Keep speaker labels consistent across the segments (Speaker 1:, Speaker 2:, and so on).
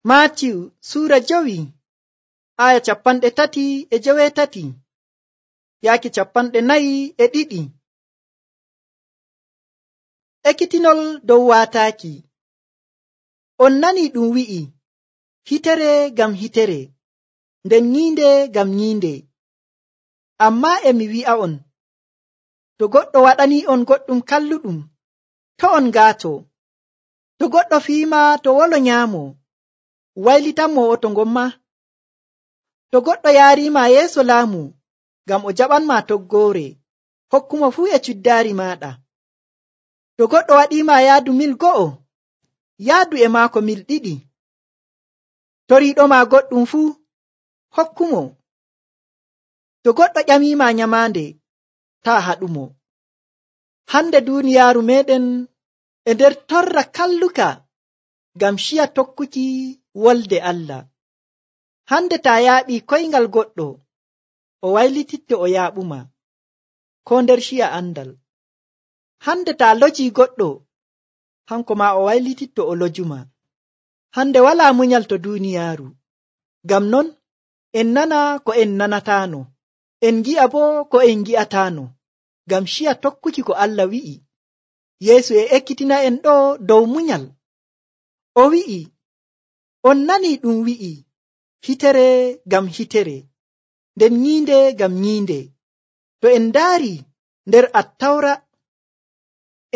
Speaker 1: Maatiyu suura 5 aya 38 yaaki 42. Ekkitinol dow waataaki. On nani ɗum wi'i, hitere ngam hitere, nden nyiinde ngam nyiinde. Ammaa emi wi'a'on, to goɗɗo waɗani on goɗɗum kalluɗum, to on ngaato. To goɗɗo fiima to wolo nyaamo, waylitanmo o to ngomma. To goɗɗo yaariima yeeso laamu ngam o jaɓanma toggoore, hokkumo fuu e cuddaari maaɗa. To goɗɗo waɗiima yaadu mil 1, yaadu e maako mil 2. Toriiɗoma goɗɗum fuu, hokkumo. To goɗɗo ƴamiima nyamaande, taa haɗumo. Hande duuniyaaru meɗen e nder torra kalluka ngam ciya tokkuki wolde Allah. Hande taa yaaɓii koyngal goɗɗo, o waylititte o yaaɓuma, ko nder ciya andal. Hande taa lojii goɗɗo, hanko maa o waylititto o lojuma. Hande walaa munyal to duuniyaaru. Ngam non en nana ko en nanataano, en gi'a boo ko en gi'ataano, ngam ciya tokkuki ko Allah wi'i. Yeesu e ekkitina en ɗo dow munyal. O wi'i, on nani ɗum wi'i, hitere ngam hitere, nden nyiinde ngam nyiinde. To en ndaari nder Attawra,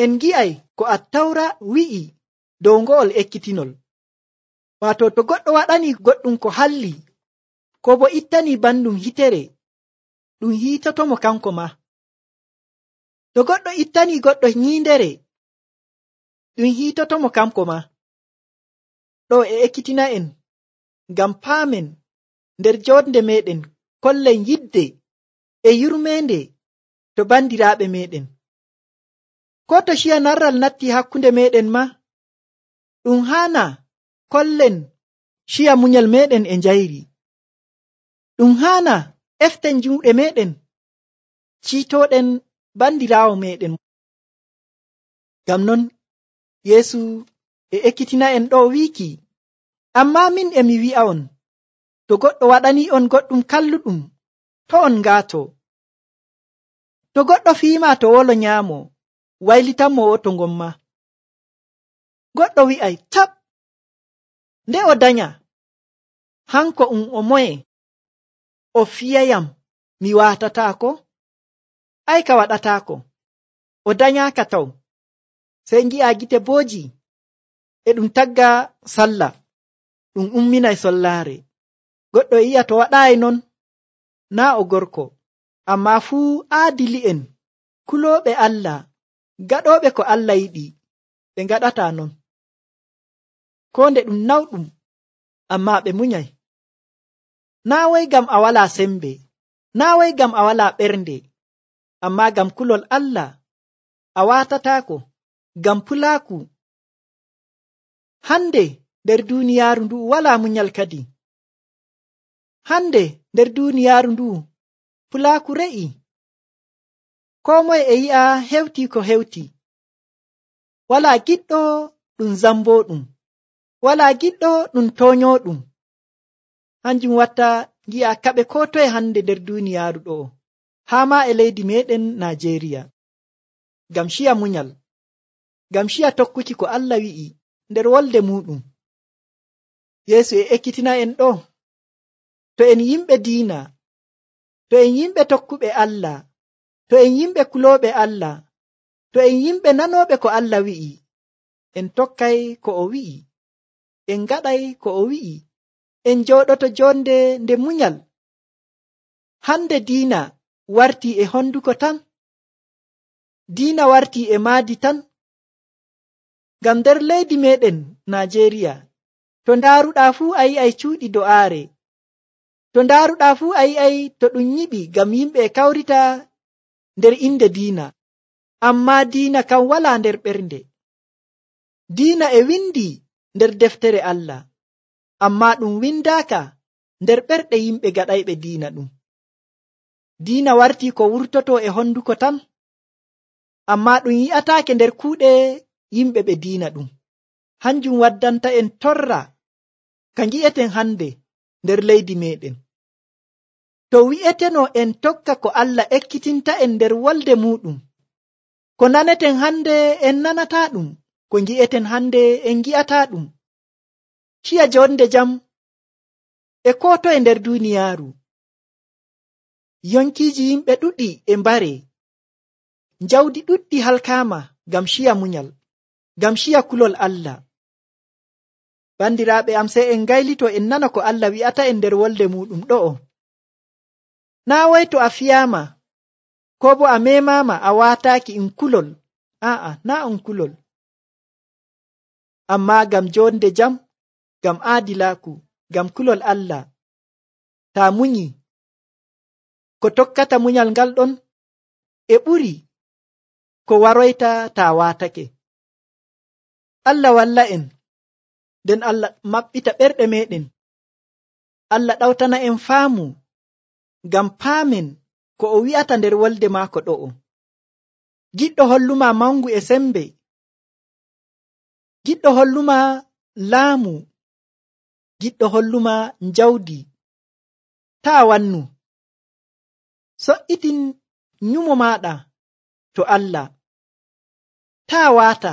Speaker 1: en gi'ay ko Attawra wi'i dow ngo'ol ekkitinol. Waato to goɗɗo waɗani goɗɗum ko halli, ko bo ittani bandum hitere, ɗum hiitotomo kanko ma. To goɗɗo ittani goɗɗo nyiindere, ɗum hiitotomo kanko ma. Ɗo e ekkitina en ngam paamen nder jonde meɗen kollen yidde e yurmeende to bandiraaɓe meɗen. Ko to ciya narral natti hakkunde meɗen ma, ɗum haana kollen ciya munyal meɗen e njayri. Ɗum haana eften juuɗe meɗen ciitoɗen bandiraawo meɗen. Ngam non Yeesu e ekkitina en ɗo wiiki, ammaa min emi wi'a'on, to goɗɗo waɗani on goɗɗum kalluɗum, to on ngaato. To goɗɗo fiima to wolo nyaamo, waylitanmo o to ngomma. Goɗɗo wi'ay, tab, nde o danya, hanko o moye, o fiyayam mi waatataako? Ay ka waɗataako, o danyaaka taw. Sey ngi'a gite booji e ɗum tagga sallah, ɗum umminay sollaare. Goɗɗo yi'a to waɗaayi non, naa o gorko, ammaa fuu aadili'en, kulooɓe Allah, gaɗooɓe ko Allah yiɗi, ɓe ngaɗataa non. Koo nde ɗum nawɗum, ammaa ɓe munyay. Naa way ngam a walaa sembe, naa way ngam a walaa ɓernde, ammaa ngam kulol Allah, a waatataako, ngam pulaaku. Hande nder duuniyaaru ndu walaa munyal kadi. Hande nder duuniyaaru ndu pulaaku re'i. Koo moye e yi'a hewti ko hewti. Walaa giɗɗo ɗum zambooɗum, walaa giɗɗo ɗum tooñooɗum. Hanjum watta ngi'a kaɓe koo toye hande nder duuniyaaru ɗo, haa maa e leydi meɗen Najeriya. Ngam ciya munyal, ngam ciya tokkuki ko Allah wi'i nder wolde muɗum. Yeesu e ekkitina en ɗo, to en yimɓe diina, to en yimɓe tokkuɓe Allah, to en yimɓe kulooɓe Allah, to en yimɓe nanooɓe ko Allah wi'i, en tokkay ko o wi'i, en ngaɗay ko o wi'i, en jooɗoto jonde nde munyal. Hande diina wartii e honduko tan, diina wartii e maadi tan. Ngam nder leydi meɗen Najeriya, to ndaaruɗaa fuu a yi'ay cuuɗi do'aare, to ndaaruɗaa fuu a yi'ay to ɗum nyiɓi ngam yimɓe e kawrita nder inde diina, ammaa diina kam walaa nder ɓernde. Diina e windi nder deftere Allah, ammaa ɗum windaaka nder ɓerɗe yimɓe gaɗayɓe diina ɗum. Diina wartii ko wurtoto e honduko tan, ammaa ɗum yi'ataake nder kuuɗe yimɓe ɓe diina ɗum. Hanjum waddanta en torra ka ngi'eten hande nder leydi meɗen. To wi'eteno en tokka ko Allah ekkitinta en nder wolde muɗum, ko naneten hande en nanata ɗum, ko ngi'eten hande en ngi'ata ɗum. Ciya jonde jam e ko toye nder duniyaaru. Yonkiiji yimɓe ɗuɗi e mbare, jawdi ɗuɗɗi halkaama ngam ciya munyal, ngam ciya kulol Allah. Bandiraaɓe am, sey en ngaylito en nana ko Allah wi'ata en nder wolde muɗum ɗo'o. Naa wai to a fiyaama, ko bo a memaama a waataaki in kulol, naa on kulol. Amma ngam jonde jam, ngam aadilaaku, ngam kulol Allah, taa munyi, ko tokkata munyal ngal ɗon e ɓuri ko waroyta taa waatake. Allah walla en, nden Allah maɓɓita ɓerɗe meɗen. Allah ɗawtana en faamu, ngam paamen ko o wi'ata nder wolde maako ɗo'o. Giɗɗo holluma mangu e sembe, giɗɗo holluma laamu, giɗɗo holluma njawdi. Taa wannu, so'itin nyumo maɗa to Allah. Taa waata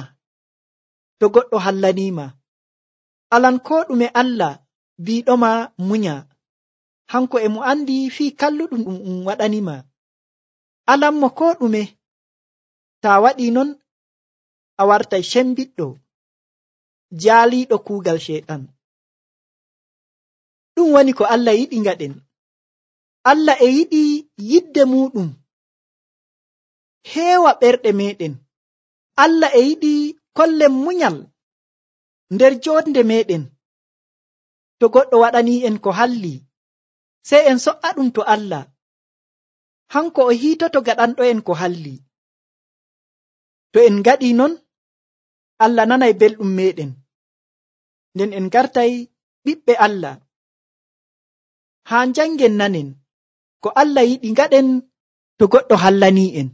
Speaker 1: to goɗɗo hallanima. Alan ko ɗume Allah biɗoma munya, hanko e mo andi fii kalluɗum ɗum waɗanima. Alanmo ko ɗume. Taa waɗi non, a wartay cembiɗɗo, jaaliɗo kuugal sheɗan. Ɗum woni ko Allah yiɗi ngaɗen. Allah e yiɗi yidde muɗum heewa ɓerɗe meɗen. Allah e yiɗi kollen munyal nder jonde meɗen. To goɗɗo waɗani en ko halli, sey en so'a ɗum to Allah. Hanko o hiitoto gaɗanɗo en ko halli. To en ngaɗi non, Allah nanay belɗum meɗen, nden en gartay ɓiɓɓe Allah. Haa jangen nanen ko Allah yiɗi ngaɗen to goɗɗo hallani en.